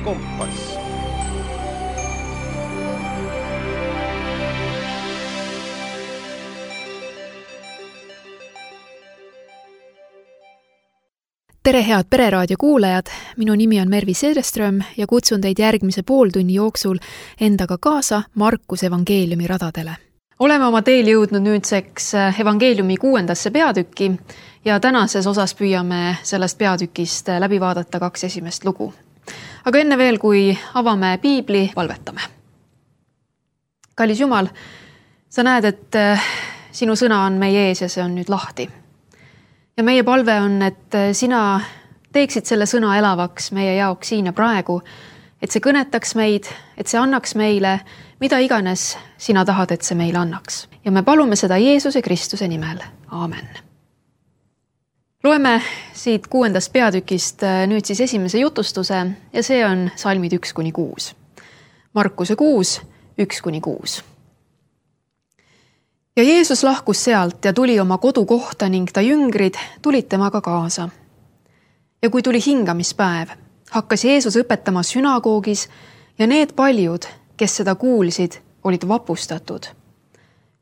Kompass. Tere head Pereraadio kuulajad, minu nimi on Mervi Seereström ja kutsun teid järgmise pooltunni jooksul endaga kaasa Markuse evangeeliumi radadele. Oleme oma teel jõudnud nüüdseks evangeeliumi 6. peatükki ja tänases osas püüame sellest peatükist läbi vaadata 2 esimest lugu. Aga enne veel, kui avame piibli, palvetame. Kallis Jumal, sa näed, et sinu sõna on meie ees ja see on nüüd lahti. Ja meie palve on, et sina teeksid selle sõna elavaks meie jaoks siin ja praegu, et see kõnetaks meid, et see annaks meile, mida iganes sina tahad, et see meile annaks. Ja me palume seda Jeesuse Kristuse nimel. Aamen. Loeme siit 6. peatükist nüüd siis esimese jutustuse ja see on salmid 1-6. Markuse 6, 1-6. Ja Jeesus lahkus sealt ja tuli oma kodukohta ning ta jüngrid tulid temaga kaasa. Ja kui tuli hingamispäev, hakkas Jeesus õpetama sünagoogis ja need paljud, kes seda kuulsid, olid vapustatud.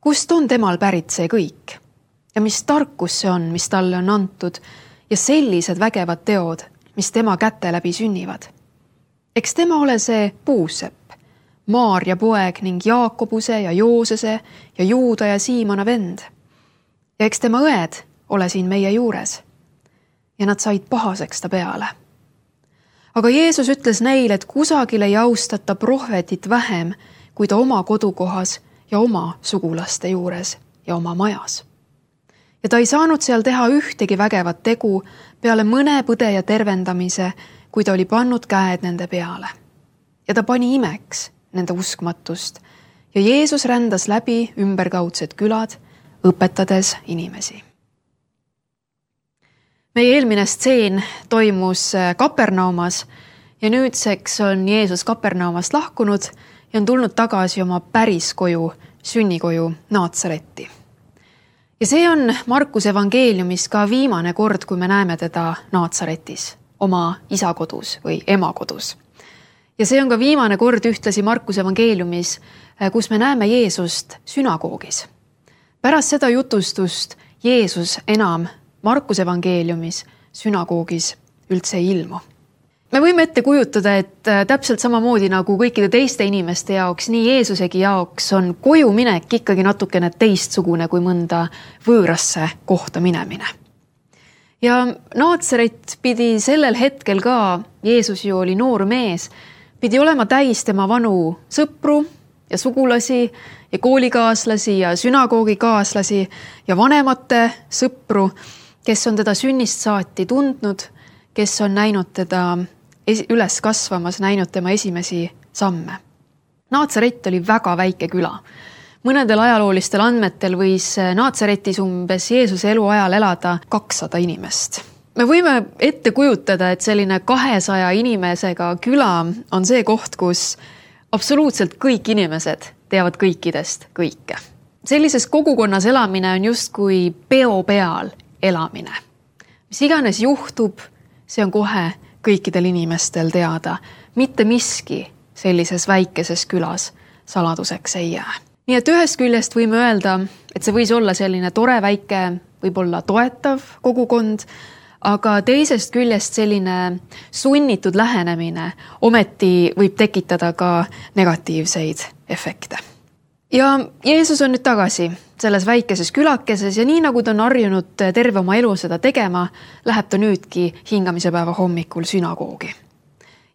Kust on temal pärit see kõik? Ja mis tarkus see on, mis talle on antud ja sellised vägevad teod, mis tema käte läbi sünnivad? Eks tema ole see Puusepp, Maarja poeg ning Jaakobuse ja Joosese ja Juuda ja Siimona vend. Ja eks tema õed ole siin meie juures. Ja nad said pahaseks ta peale. Aga Jeesus ütles neile, et kusagil ei austata prohvetit vähem, kui ta oma kodukohas ja oma sugulaste juures ja oma majas. Ja ta ei saanud seal teha ühtegi vägevat tegu peale mõne põdeja tervendamise, kui ta oli pannud käed nende peale. Ja ta pani imeks nende uskmatust ja Jeesus rändas läbi ümberkaudsed külad, õpetades inimesi. Meie eelmine stseen toimus Kapernaumas ja nüüdseks on Jeesus Kapernaumast lahkunud ja on tulnud tagasi oma päris koju, sünnikoju Naatsaretti. Ja see on Markuse evangeeliumis ka viimane kord, kui me näeme teda Naatsaretis, oma isa kodus või ema kodus. Ja see on ka viimane kord ühtlasi Markuse evangeeliumis, kus me näeme Jeesust sünagoogis. Pärast seda jutustust Jeesus enam Markuse evangeeliumis sünagoogis üldse ei ilmu. Me võime ette kujutada, et täpselt samamoodi nagu kõikide teiste inimeste jaoks, nii Jeesusegi jaoks on koju minek ikkagi natukene teistsugune kui mõnda võõrasse kohta minemine. Ja Naatsaret pidi sellel hetkel ka, Jeesus ju oli noor mees, pidi olema täis tema vanu sõpru ja sugulasi ja koolikaaslasi ja sünagoogikaaslasi ja vanemate sõpru, kes on teda sünnist saati tundnud, kes on näinud teda üles kasvamas, näinud tema esimesi samme. Naatsaret oli väga väike küla. Mõnedel ajaloolistel andmetel võis Naatsaretis umbes Jeesuse eluajal elada 200 inimest. Me võime ette kujutada, et selline 200 inimesega küla on see koht, kus absoluutselt kõik inimesed teavad kõikidest kõike. Sellises kogukonnas elamine on justkui peo peal elamine. Mis iganes juhtub, see on kohe kõikidel inimestel teada. Mitte miski sellises väikeses külas saladuseks ei jää. Nii et ühest küljest võime öelda, et see võis olla selline tore väike, võib-olla toetav kogukond, aga teisest küljest selline sunnitud lähenemine ometi võib tekitada ka negatiivseid efekte. Ja Jeesus on nüüd tagasi selles väikeses külakeses ja nii nagu ta on harjunud terve oma elu seda tegema, läheb ta nüüdki hingamise päeva hommikul sünagoogi.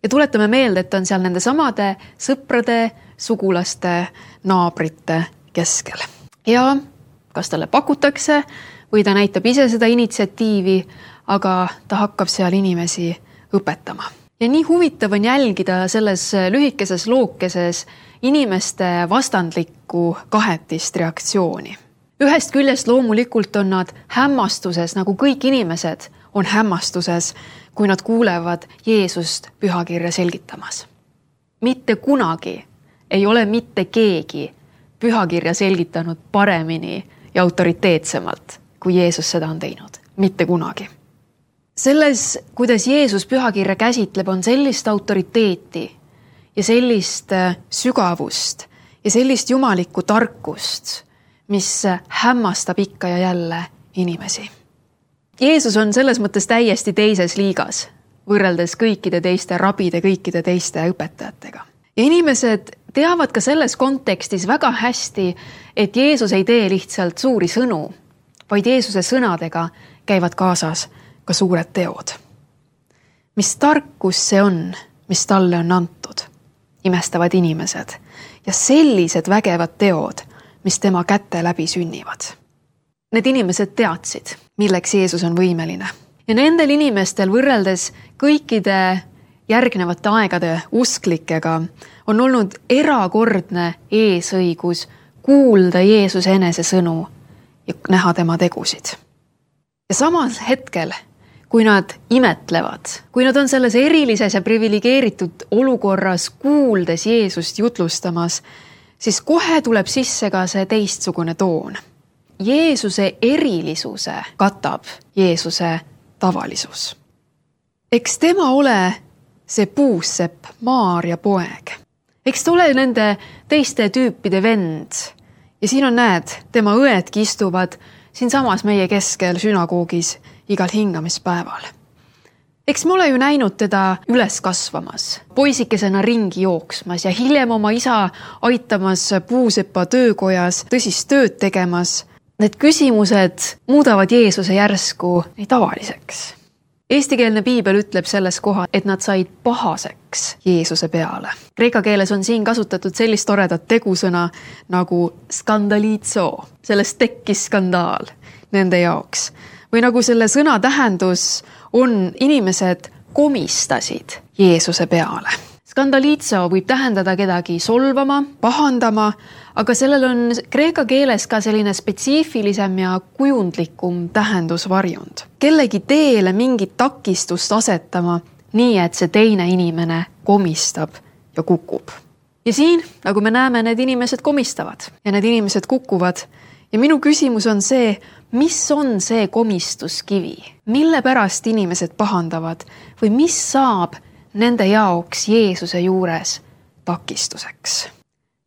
Ja tuletame meelde, et ta on seal nende samade sõprade, sugulaste, naabrite keskel. Ja kas talle pakutakse või ta näitab ise seda initsiatiivi, aga ta hakkab seal inimesi õpetama. Ja nii huvitav on jälgida selles lühikeses lookeses inimeste vastandlikku kahetist reaktsiooni. Ühest küljest loomulikult on nad hämmastuses, nagu kõik inimesed on hämmastuses, kui nad kuulevad Jeesust pühakirja selgitamas. Mitte kunagi ei ole mitte keegi pühakirja selgitanud paremini ja autoriteetsemalt, kui Jeesus seda on teinud. Mitte kunagi. Selles, kuidas Jeesus pühakirja käsitleb, on sellist autoriteeti ja sellist sügavust ja sellist jumalikku tarkust, mis hämmastab ikka ja jälle inimesi. Jeesus on selles mõttes täiesti teises liigas, võrreldes kõikide teiste rabide, kõikide teiste õpetajatega. Ja inimesed teavad ka selles kontekstis väga hästi, et Jeesus ei tee lihtsalt suuri sõnu, vaid Jeesuse sõnadega käivad kaasas ka suured teod. Mis tarkus see on, mis talle on antud, imestavad inimesed ja sellised vägevad teod, mis tema käte läbi sünnivad. Need inimesed teadsid, milleks Jeesus on võimeline. Ja nendel inimestel võrreldes kõikide järgnevate aegade usklikega on olnud erakordne eesõigus kuulda Jeesuse enese sõnu ja näha tema tegusid. Ja samas hetkel, kui nad imetlevad, kui nad on selles erilises ja privilegeeritud olukorras kuuldes Jeesust jutlustamas, siis kohe tuleb sisse ka see teistsugune toon. Jeesuse erilisuse katab Jeesuse tavalisus. Eks tema ole see puussepp Maaria poeg. Eks ta ole nende teiste tüüpide vend. Ja siin on näed, tema õedki istuvad siin samas meie keskel sünagoogis igal hingamispäeval. Eks me ole ju näinud teda üles kasvamas, poisikesena ringi jooksmas ja hiljem oma isa aitamas puusepa töökojas tõsist tööd tegemas. Need küsimused muudavad Jeesuse järsku nii tavaliseks. Eestikeelne piibel ütleb selles koha, et nad said pahaseks Jeesuse peale. Kreeka keeles on siin kasutatud sellist toredat tegusõna nagu skandaliitso. Sellest tekkis skandaal nende jaoks. Või nagu selle sõna tähendus on inimesed komistasid Jeesuse peale. Skandaliitso võib tähendada kedagi solvama, pahandama, aga sellel on kreeka keeles ka selline spetsiifilisem ja kujundlikum tähendusvarjund. Kellegi teele mingit takistust asetama, nii et see teine inimene komistab ja kukub. Ja siin, nagu me näeme, need inimesed komistavad ja need inimesed kukuvad. Ja minu küsimus on see, mis on see komistuskivi? Mille pärast inimesed pahandavad või mis saab nende jaoks Jeesuse juures takistuseks?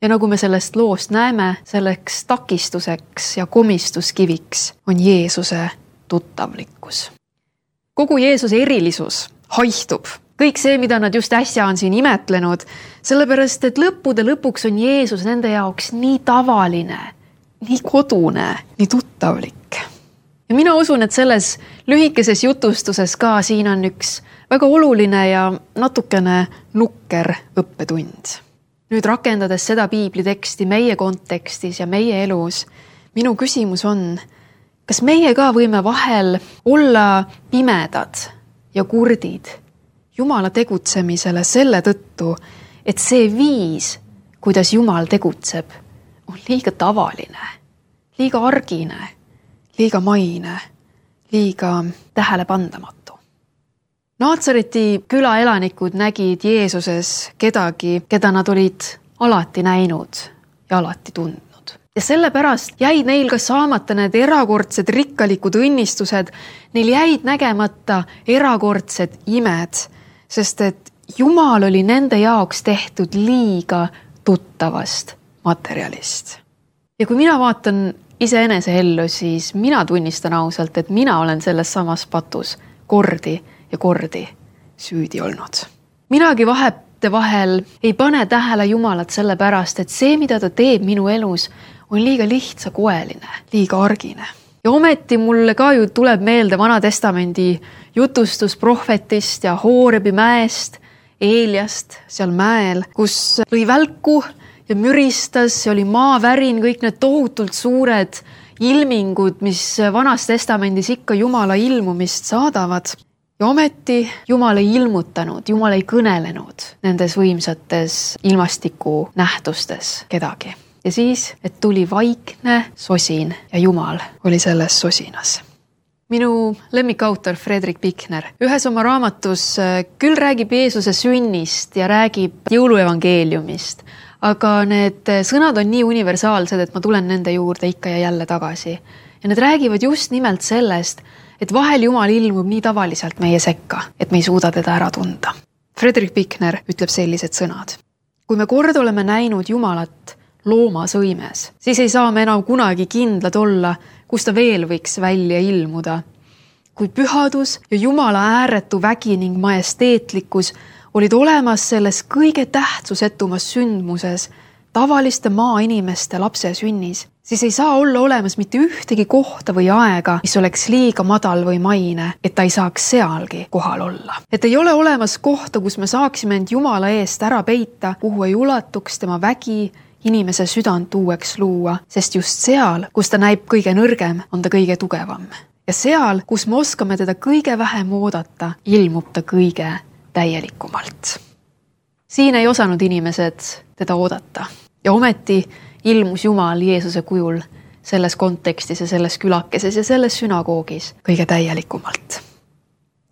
Ja nagu me sellest loost näeme, selleks takistuseks ja komistuskiviks on Jeesuse tuttavlikkus. Kogu Jeesuse erilisus haihtub. Kõik see, mida nad just äsja on siin imetlenud, sellepärast, et lõppude lõpuks on Jeesus nende jaoks nii tavaline, nii kodune, nii tuttavlik. Ja mina usun, et selles lühikeses jutustuses ka siin on üks väga oluline ja natukene nukker õppetund. Nüüd rakendades seda piibliteksti meie kontekstis ja meie elus, minu küsimus on, kas meie ka võime vahel olla pimedad ja kurdid Jumala tegutsemisele selle tõttu, et see viis, kuidas Jumal tegutseb, on liiga tavaline, liiga argine, liiga maine, liiga tähelepandamatu. Naatsareti küla elanikud nägid Jeesuses kedagi, keda nad olid alati näinud ja alati tundnud. Ja sellepärast jäid neil ka saamata need erakordsed rikkalikud õnnistused, neil jäid nägemata erakordsed imed, sest et Jumal oli nende jaoks tehtud liiga tuttavast materjalist. Ja kui mina vaatan iseenese ellu, siis mina tunnistan ausalt, et mina olen selles samas patus kordi ja kordi süüdi olnud. Minagi vahel ei pane tähele Jumalat sellepärast, et see, mida ta teeb minu elus, on liiga lihtsakoeline, liiga argine. Ja ometi mulle ka ju tuleb meelde Vana Testamendi jutustus prohvetist ja Hoorebi mäest, Eeliast seal mäel, kus lõi välku ja müristas, see oli maavärin, kõik need tohutult suured ilmingud, mis Vanas Testamendis ikka Jumala ilmumist saadavad. Ja ometi Jumal ei ilmutanud, Jumal ei kõnelenud nendes võimsates ilmastiku nähtustes kedagi. Ja siis, et tuli vaikne sosin ja Jumal oli selles sosinas. Minu lemmikautor Fredrik Pikner ühes oma raamatus küll räägib Jeesuse sünnist ja räägib jõuluevangeeliumist, aga need sõnad on nii universaalsed, et ma tulen nende juurde ikka ja jälle tagasi. Ja need räägivad just nimelt sellest, et vahel Jumal ilmub nii tavaliselt meie sekka, et me ei suuda teda ära tunda. Friedrich Buechner ütleb sellised sõnad. Kui me kord oleme näinud Jumalat loomasõimes, siis ei saa me enam kunagi kindlad olla, kus ta veel võiks välja ilmuda. Kui pühadus ja Jumala ääretu vägi ning majesteetlikkus olid olemas selles kõige tähtsusetumas sündmuses, tavaliste maainimeste lapse sünnis, siis ei saa olla olemas mitte ühtegi kohta või aega, mis oleks liiga madal või maine, et ta ei saaks sealgi kohal olla. Et ei ole olemas kohta, kus me saaksime end Jumala eest ära peita, kuhu ei ulatuks tema vägi inimese südant uueks luua, sest just seal, kus ta näib kõige nõrgem, on ta kõige tugevam. Ja seal, kus me oskame teda kõige vähem oodata, ilmub ta kõige täielikumalt. Siin ei osanud inimesed teda oodata ja ometi ilmus Jumal Jeesuse kujul selles kontekstis ja selles külakeses ja selles sünagoogis kõige täielikumalt.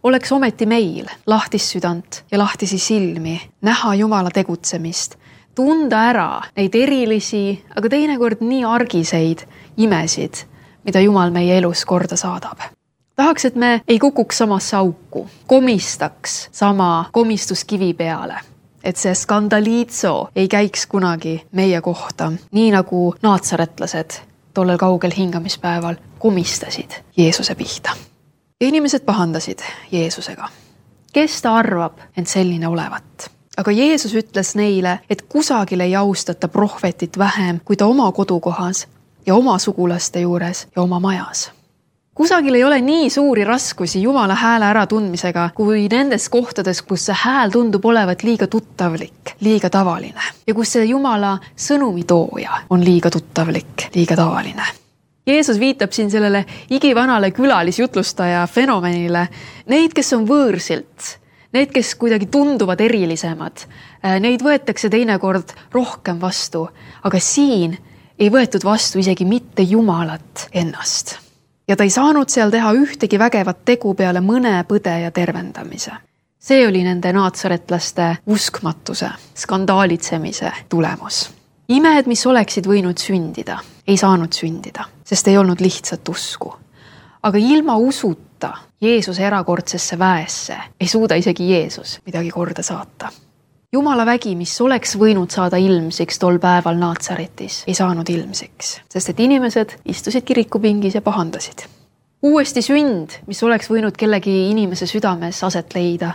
Oleks ometi meil lahtis südant ja lahtisi silmi näha Jumala tegutsemist, tunda ära neid erilisi, aga teinekord nii argiseid imesid, mida Jumal meie elus korda saadab. Tahaks, et me ei kukuks samasse auku, komistaks sama komistuskivi peale, et see skandaliitso ei käiks kunagi meie kohta, nii nagu naatsaretlased tollel kaugel hingamispäeval komistasid Jeesuse pihta. Ja inimesed pahandasid Jeesusega. Kes ta arvab end selline olevat? Aga Jeesus ütles neile, et kusagil ei austata prohvetit vähem kui ta oma kodukohas ja oma sugulaste juures ja oma majas. Kusagil ei ole nii suuri raskusi Jumala hääle äratundmisega, kui nendes kohtades, kus see hääl tundub olevat liiga tuttavlik, liiga tavaline. Ja kus see Jumala sõnumitooja on liiga tuttavlik, liiga tavaline. Jeesus viitab siin sellele igivanale külalisjutlustaja fenomenile. Neid, kes on võõrsilt, need, kes kuidagi tunduvad erilisemad, neid võetakse teinekord rohkem vastu. Aga siin ei võetud vastu isegi mitte Jumalat ennast. Ja ta ei saanud seal teha ühtegi vägevat tegu peale mõne põde ja tervendamise. See oli nende naatsaretlaste uskmatuse, skandaalitsemise tulemus. Imed, mis oleksid võinud sündida, ei saanud sündida, sest ei olnud lihtsat usku. Aga ilma usuta Jeesuse erakordsesse väesse ei suuda isegi Jeesus midagi korda saata. Jumala vägi, mis oleks võinud saada ilmsiks tol päeval Naatsaretis, ei saanud ilmsiks, sest et inimesed istusid kirikupingis ja pahandasid. Uuesti sünd, mis oleks võinud kellegi inimese südames aset leida,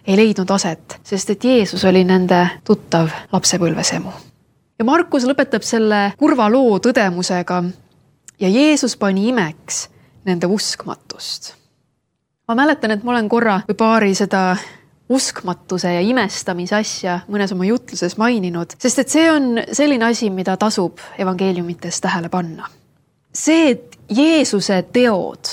ei leidnud aset, sest et Jeesus oli nende tuttav lapsepõlvesemu. Ja Markus lõpetab selle kurva loo tõdemusega ja Jeesus pani imeks nende uskmatust. Ma mäletan, et ma olen korra või paari seda uskmatuse ja imestamise asja mõnes oma jutluses maininud, sest et see on selline asi, mida tasub evangeeliumites tähele panna. See, et Jeesuse teod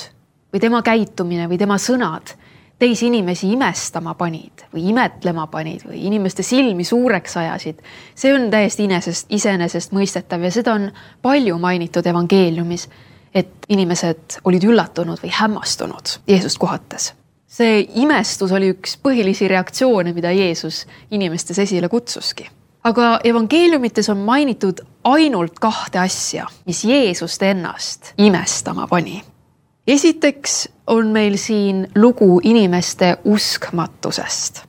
või tema käitumine või tema sõnad teisi inimesi imestama panid või imetlema panid või inimeste silmi suureks ajasid, see on täiesti iseenesest mõistetav ja seda on palju mainitud evangeeliumis, et inimesed olid üllatunud või hämmastunud Jeesust kohates. See imestus oli üks põhilisi reaktsioone, mida Jeesus inimestes esile kutsuski. Aga evangeeliumites on mainitud ainult 2 asja, mis Jeesust ennast imestama pani. Esiteks on meil siin lugu inimeste uskmatusest.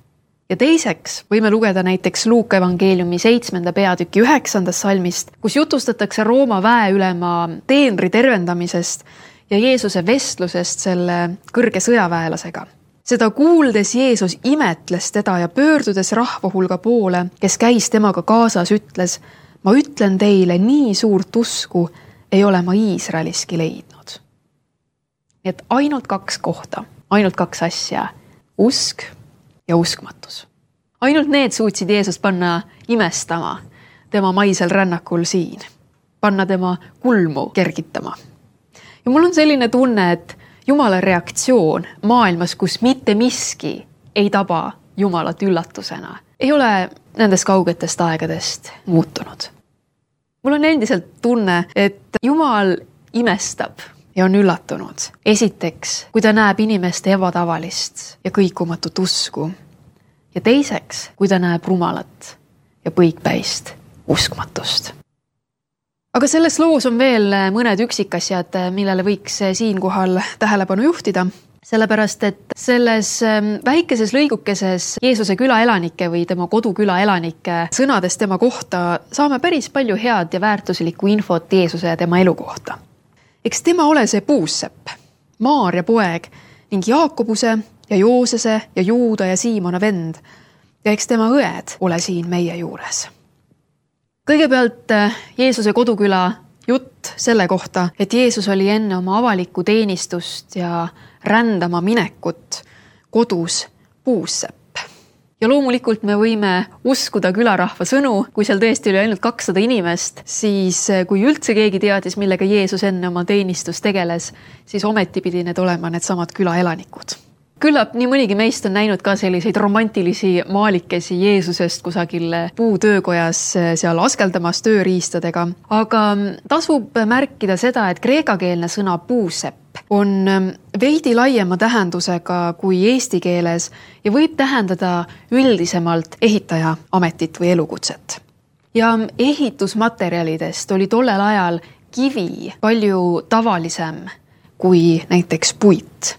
Ja teiseks võime lugeda näiteks Luuka evangeeliumi 7. peatüki 9. salmist, kus jutustatakse Rooma väeülema teenri tervendamisest ja Jeesuse vestlusest selle kõrge sõjaväelasega. Seda kuuldes Jeesus imetles teda ja pöördudes rahva hulga poole, kes käis temaga kaasas, ütles, ma ütlen teile, nii suurt usku ei ole ma Iisraeliski leidnud. Nii et ainult 2 kohta, ainult 2 asja, usk ja uskmatus. Ainult need suutsid Jeesus panna imestama tema maisel rännakul siin, panna tema kulmu kergitama. Ja mul on selline tunne, et Jumala reaktsioon maailmas, kus mitte miski ei taba Jumalat üllatusena, ei ole nendest kaugetest aegadest muutunud. Mul on endiselt tunne, et Jumal imestab ja on üllatunud. Esiteks, kui ta näeb inimeste ebatavalist ja kõikumatut usku. Ja teiseks, kui ta näeb rumalat ja põikpäist uskmatust. Aga selles loos on veel mõned üksikasjad, millele võiks siinkohal tähelepanu juhtida, sellepärast et selles väikeses lõigukeses Jeesuse külaelanike või tema koduküla elanike sõnadest tema kohta saame päris palju head ja väärtuslikku infot Jeesuse ja tema elu kohta. Eks tema ole see puussepp, Maarja poeg ning Jaakobuse ja Joosese ja Juuda ja Siimona vend ja eks tema õed ole siin meie juures. Kõigepealt Jeesuse koduküla jutt selle kohta, et Jeesus oli enne oma avalikku teenistust ja rändama minekut kodus puussepp. Ja loomulikult me võime uskuda külarahva sõnu, kui seal tõesti oli ainult 200 inimest, siis kui üldse keegi teadis, millega Jeesus enne oma teenistust tegeles, siis ometi pidi need olema need samad külaelanikud. Küllap nii mõnigi meist on näinud ka selliseid romantilisi maalikesi Jeesusest kusagil puutöökojas seal askeldamas tööriistadega, aga tasub märkida seda, et kreekakeelne sõna puusepp on veidi laiema tähendusega kui eesti keeles ja võib tähendada üldisemalt ehitaja ametit või elukutset. Ja ehitusmaterjalidest oli tollel ajal kivi palju tavalisem kui näiteks puit.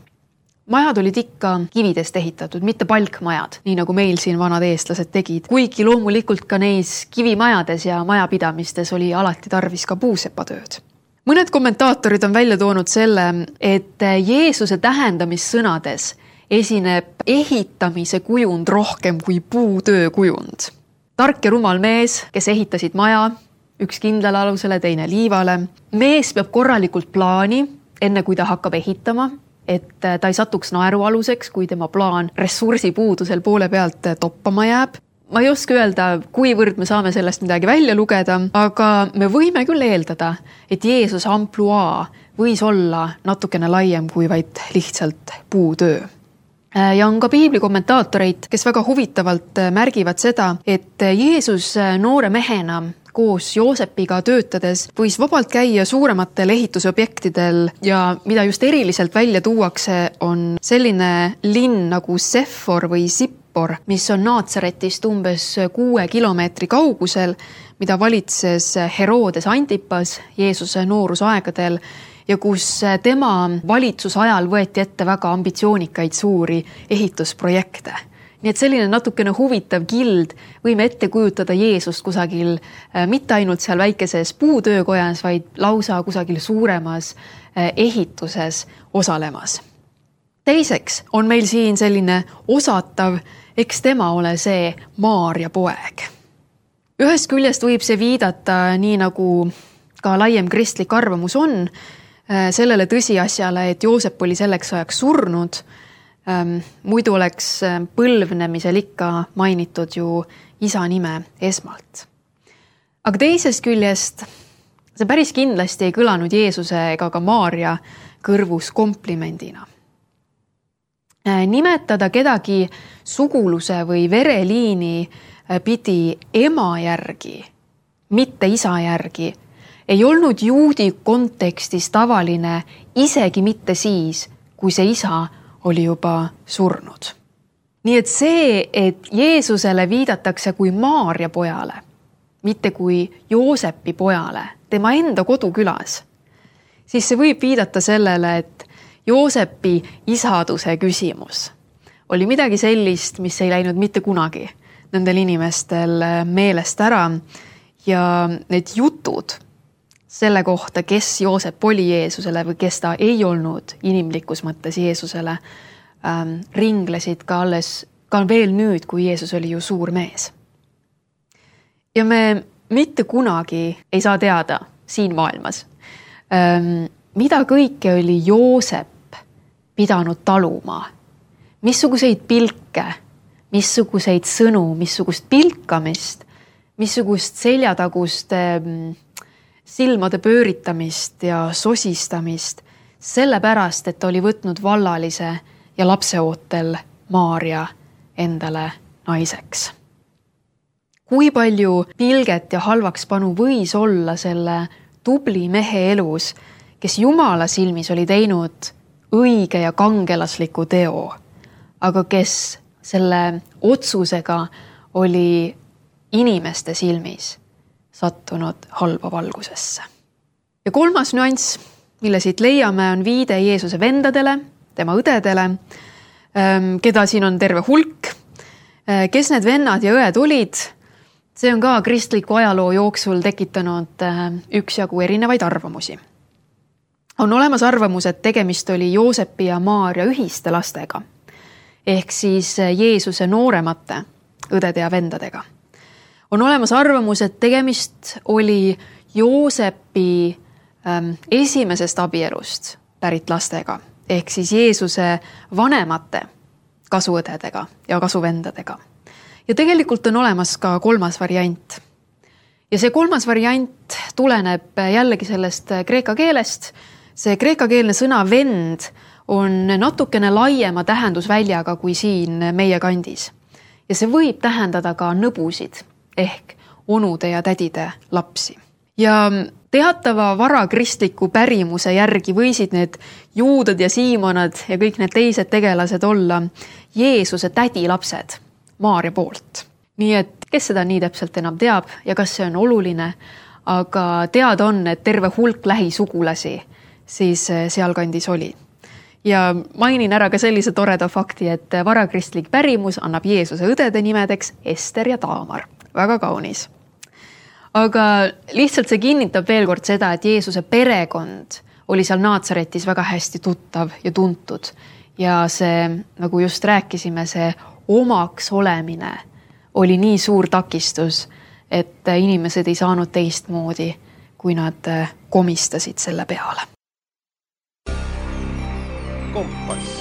Majad olid ikka kividest ehitatud, mitte palkmajad, nii nagu meil siin vanad eestlased tegid. Kuigi loomulikult ka neis kivimajades ja majapidamistes oli alati tarvis ka puusepatööd. Mõned kommentaatorid on välja toonud selle, et Jeesuse tähendamissõnades esineb ehitamise kujund rohkem kui puutöö kujund. Tark ja rumal mees, kes ehitasid maja, üks kindlale alusele, teine liivale. Mees peab korralikult plaani, enne kui ta hakkab ehitama, et ta ei satuks naerualuseks, kui tema plaan ressursipuudusel poole pealt toppama jääb. Ma ei oska öelda, kuivõrd me saame sellest midagi välja lugeda, aga me võime küll eeldada, et Jeesuse ampluaa võis olla natukene laiem kui vaid lihtsalt puutöö. Ja on ka piibli kommentaatoreid, kes väga huvitavalt märgivad seda, et Jeesus noore mehena koos Joosepiga töötades võis vabalt käia suurematel ehitusobjektidel ja mida just eriliselt välja tuuakse, on selline linn nagu Seffor või Sippor, mis on Naatsaretist umbes 6 kilomeetri kaugusel, mida valitses Herodes Antipas Jeesuse noorusaegadel ja kus tema valitsusajal võeti ette väga ambitsioonikaid suuri ehitusprojekte. Nii et selline natukene huvitav kild võime ette kujutada Jeesust kusagil mitte ainult seal väikeses puutöökojas, vaid lausa kusagil suuremas ehituses osalemas. Teiseks on meil siin selline osatav, eks tema ole see Maarja poeg. Ühest küljest võib see viidata, nii nagu ka laiem kristlik arvamus on, sellele tõsiasjale, et Joosep oli selleks ajaks surnud. Muidu oleks põlvnemisel ikka mainitud ju isa nime esmalt. Aga teisest küljest see päris kindlasti ei kõlanud Jeesuse ega ka Maarja kõrvus komplimendina. Nimetada kedagi suguluse või vereliini pidi ema järgi, mitte isa järgi, ei olnud juudi kontekstis tavaline isegi mitte siis, kui see isa oli juba surnud. Nii et see, et Jeesusele viidatakse kui Maarja pojale, mitte kui Joosepi pojale, tema enda kodukülas, siis see võib viidata sellele, et Joosepi isaduse küsimus oli midagi sellist, mis ei läinud mitte kunagi nendel inimestel meelest ära ja need jutud selle kohta, kes Joosep oli Jeesusele või kes ta ei olnud inimlikus mõttes Jeesusele, ringlesid ka veel nüüd, kui Jeesus oli ju suur mees. Ja me mitte kunagi ei saa teada siin maailmas, mida kõike oli Joosep pidanud taluma, missuguseid pilke, missuguseid sõnu, missugust pilkamist, missugust seljatagust silmade pööritamist ja sosistamist, sellepärast, et oli võtnud vallalise ja lapseootel Maarja endale naiseks. Kui palju pilget ja halvakspanu võis olla selle tubli mehe elus, kes Jumala silmis oli teinud õige ja kangelasliku teo, aga kes selle otsusega oli inimeste silmis sattunud halba valgusesse. Ja kolmas nüanss, mille siit leiame, on viide Jeesuse vendadele, tema õdedele, keda siin on terve hulk. Kes need vennad ja õed olid, see on ka kristliku ajaloo jooksul tekitanud üksjagu erinevaid arvamusi. On olemas arvamus, et tegemist oli Joosepi ja Maaria ühiste lastega, ehk siis Jeesuse nooremate õdede ja vendadega. On olemas arvamus, et tegemist oli Joosepi esimesest abielust pärit lastega, ehk siis Jeesuse vanemate kasuõdedega ja kasuvendadega. Ja tegelikult on olemas ka kolmas variant. Ja see kolmas variant tuleneb jällegi sellest kreeka keelest. See kreekakeelne sõna vend on natukene laiema tähendusväljaga kui siin meie kandis. Ja see võib tähendada ka nõbusid ehk onude ja tädide lapsi. Ja teatava varakristliku pärimuse järgi võisid need Juudad ja Siimonad ja kõik need teised tegelased olla Jeesuse tädi lapsed Maaria poolt. Nii et kes seda nii täpselt enam teab ja kas see on oluline, aga teada on, et terve hulk lähisugulasi siis sealkandis oli. Ja mainin ära ka sellise toreda fakti, et varakristlik pärimus annab Jeesuse õdede nimedeks Ester ja Taamar. Väga kaunis. Aga lihtsalt see kinnitab veel kord seda, et Jeesuse perekond oli seal Naatsaretis väga hästi tuttav ja tuntud. Ja see, nagu just rääkisime, see omaks olemine oli nii suur takistus, et inimesed ei saanud teistmoodi, kui nad komistasid selle peale. Kompass.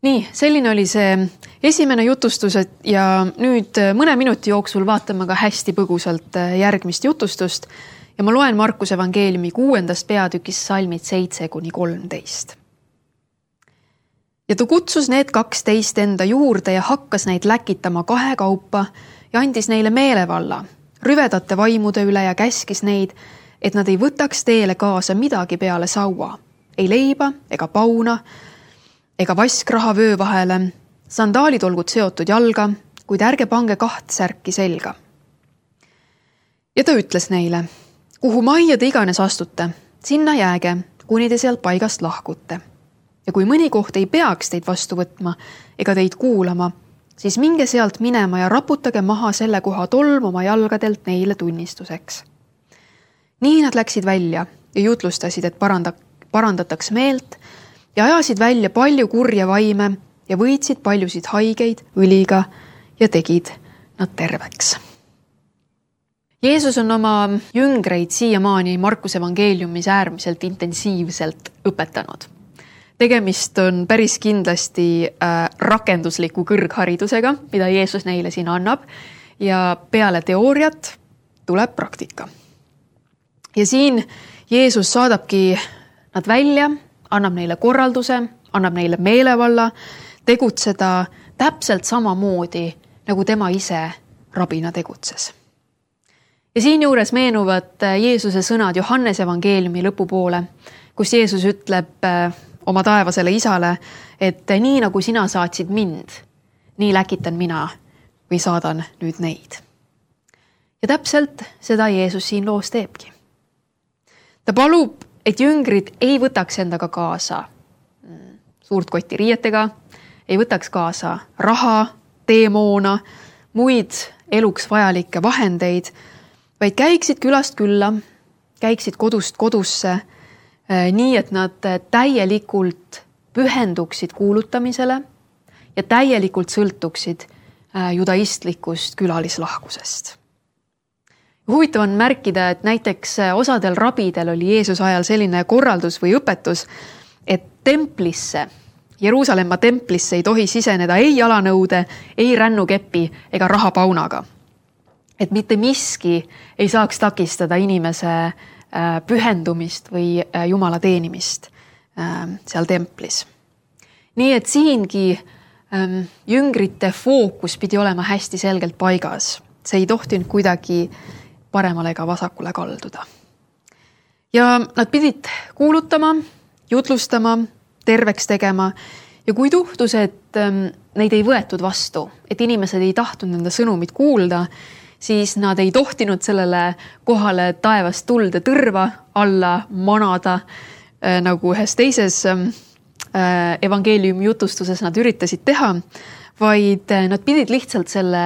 Nii, selline oli see esimene jutustus ja nüüd mõne minuti jooksul vaatame ka hästi põgusalt järgmist jutustust ja ma loen Markuse evangeeliumi 6. peatükis salmid 7-13. Ja ta kutsus need 12 enda juurde ja hakkas neid läkitama kahekaupa ja andis neile meelevalla, rüvedate vaimude üle ja käskis neid, et nad ei võtaks teele kaasa midagi peale saua, ei leiba ega pauna, ega vaskraha vöö vahele, sandaalid olgud seotud jalga, kuid ärge pange 2 särki selga. Ja ta ütles neile, kuhu majja te iganes astute, sinna jääge, kuni te sealt paigast lahkute. Ja kui mõni koht ei peaks teid vastu võtma ega teid kuulama, siis minge sealt minema ja raputage maha selle koha tolm oma jalgadelt neile tunnistuseks. Nii nad läksid välja ja jutlustasid, et parandataks meelt ja ajasid välja palju kurja vaime ja võitsid paljusid haigeid õliga ja tegid nad terveks. Jeesus on oma jüngreid siiamaani Markuse evangeeliumis äärmiselt intensiivselt õpetanud. Tegemist on päris kindlasti rakendusliku kõrgharidusega, mida Jeesus neile siin annab ja peale teooriat tuleb praktika. Ja siin Jeesus saadabki nad välja, annab neile korralduse, annab neile meelevalla tegutseda täpselt samamoodi, nagu tema ise rabina tegutses. Ja siin juures meenuvad Jeesuse sõnad Johannese evangeeliumi lõpupoole, kus Jeesus ütleb oma taevasele isale, et nii nagu sina saatsid mind, nii läkitan mina või saadan nüüd neid. Ja täpselt seda Jeesus siin loos teebki. Ta palub, et jüngrid ei võtaks endaga kaasa suurt kotti riietega, ei võtaks kaasa raha, teemoona, muid eluks vajalikke vahendeid, vaid käiksid külast külla, käiksid kodust kodusse, nii et nad täielikult pühenduksid kuulutamisele ja täielikult sõltuksid judaistlikust külalislahkusest. Huvitav on märkida, et näiteks osadel rabidel oli Jeesuse ajal selline korraldus või õpetus, et templisse, Jeruusalemma templisse ei tohi siseneda ei jalanõude, ei rännukepi ega rahapaunaga. Et mitte miski ei saaks takistada inimese pühendumist või Jumala teenimist seal templis. Nii et siingi jüngrite fookus pidi olema hästi selgelt paigas. See ei tohtinud kuidagi paremale ega vasakule kalduda. Ja nad pidid kuulutama jutlustama, terveks tegema ja kui tuhtus, et neid ei võetud vastu, et inimesed ei tahtnud nende sõnumit kuulda, siis nad ei tohtinud sellele kohale taevast tuld ja tõrva alla manada, nagu ühes teises evangeeliumi jutustuses nad üritasid teha, vaid nad pidid lihtsalt selle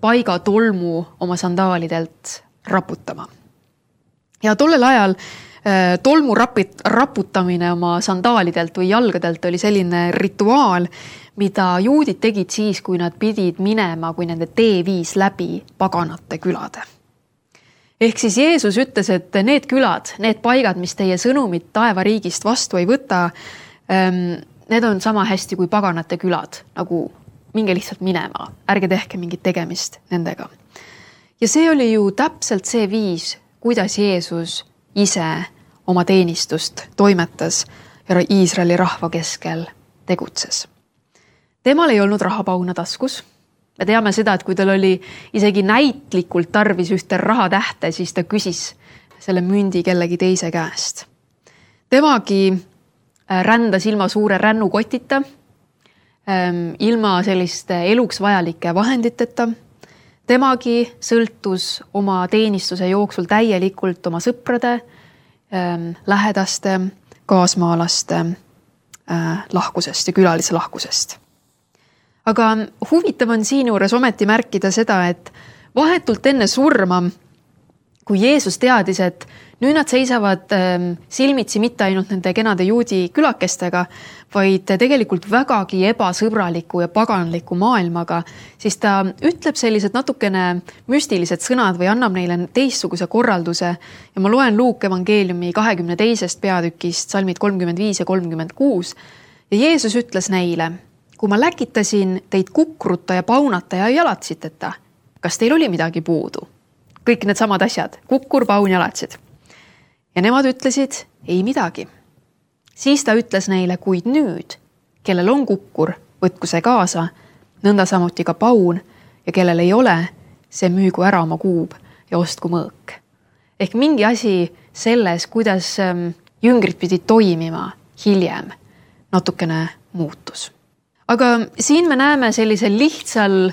paiga tolmu oma sandaalidelt raputama. Ja tollel ajal tolmu raputamine oma sandaalidelt või jalgadelt oli selline rituaal, mida juudid tegid siis, kui nad pidid minema, kui nende tee viis läbi paganate külade. Ehk siis Jeesus ütles, et need külad, need paigad, mis teie sõnumit taevariigist vastu ei võta, need on sama hästi kui paganate külad, nagu minge lihtsalt minema, ärge tehke mingit tegemist nendega. Ja see oli ju täpselt see viis, kuidas Jeesus ise oma teenistust toimetas ja Iisraeli rahva keskel tegutses. Temal ei olnud rahapauna taskus. Me teame seda, et kui tal oli isegi näitlikult tarvis ühte rahatähte, siis ta küsis selle mündi kellegi teise käest. Temagi rändas ilma suure rännukotita, ilma selliste eluks vajalike vahenditeta. Temagi sõltus oma teenistuse jooksul täielikult oma sõprade, lähedaste, kaasmaalaste lahkusest ja külalise lahkusest. Aga huvitav on siin juures ometi märkida seda, et vahetult enne surma, kui Jeesus teadis, et nüüd nad seisavad silmitsi mitte ainult nende kenade juudi külakestega, vaid tegelikult vägagi ebasõbraliku ja paganliku maailmaga, siis ta ütleb sellised natukene müstilised sõnad või annab neile teistsuguse korralduse. Ja ma loen Luuke evangeeliumi 22. peatükist, salmid 35 ja 36. Ja Jeesus ütles neile, kui ma läkitasin teid kukruta ja paunata ja jalatsiteta, kas teil oli midagi puudu? Kõik need samad asjad, kukkur, paun, jalatsid. Ja nemad ütlesid, ei midagi. Siis ta ütles neile, kuid nüüd, kellel on kukkur, võtku see kaasa, nõnda samuti ka paun, ja kellel ei ole, see müügu ära oma kuub ja ostku mõõk. Ehk mingi asi selles, kuidas jüngrid pidid toimima hiljem, natukene muutus. Aga siin me näeme sellisel lihtsal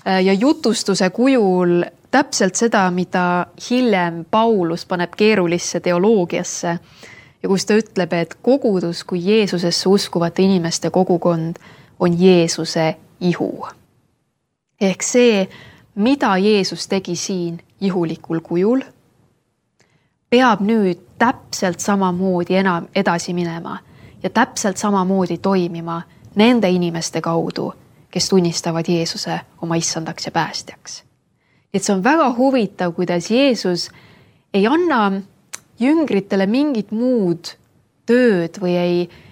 ja jutustuse kujul täpselt seda, mida hiljem Paulus paneb keerulisse teoloogiasse ja kus ta ütleb, et kogudus kui Jeesusesse uskuvate inimeste kogukond on Jeesuse ihu. Ehk see, mida Jeesus tegi siin ihulikul kujul, peab nüüd täpselt samamoodi enam edasi minema ja täpselt samamoodi toimima nende inimeste kaudu, kes tunnistavad Jeesuse oma issandaks ja päästjaks. Et see on väga huvitav, kuidas Jeesus ei anna jüngritele mingit muud tööd või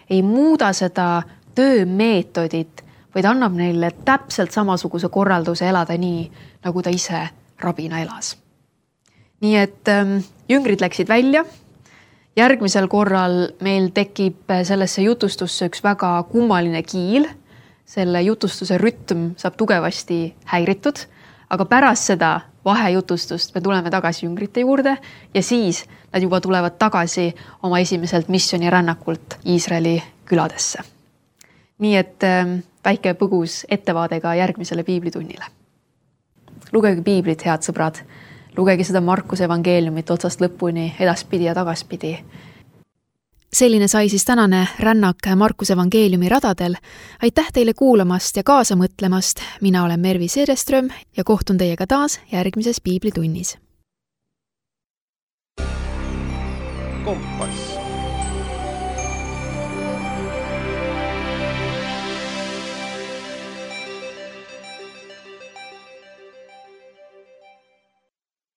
ei muuda seda töömeetodit, vaid annab neile täpselt samasuguse korralduse elada nii, nagu ta ise rabina elas. Nii et jüngrid läksid välja. Järgmisel korral meil tekib sellesse jutustusse üks väga kummaline kiil. Selle jutustuse rütm saab tugevasti häiritud, aga pärast seda vahejutustust me tuleme tagasi jüngrite juurde ja siis nad juba tulevad tagasi oma esimeselt missionirännakult Iisraeli küladesse. Nii et väike põgus ettevaadega järgmisele piiblitunnile. Lugege piiblit, head sõbrad. Lugege seda Markuse evangeeliumit otsast lõpuni, edaspidi ja tagaspidi. Selline sai siis tänane rännak Markuse evangeeliumi radadel. Aitäh teile kuulamast ja kaasa mõtlemast. Mina olen Mervi Seereström ja kohtun teiega taas järgmises piiblitunnis. Kompass.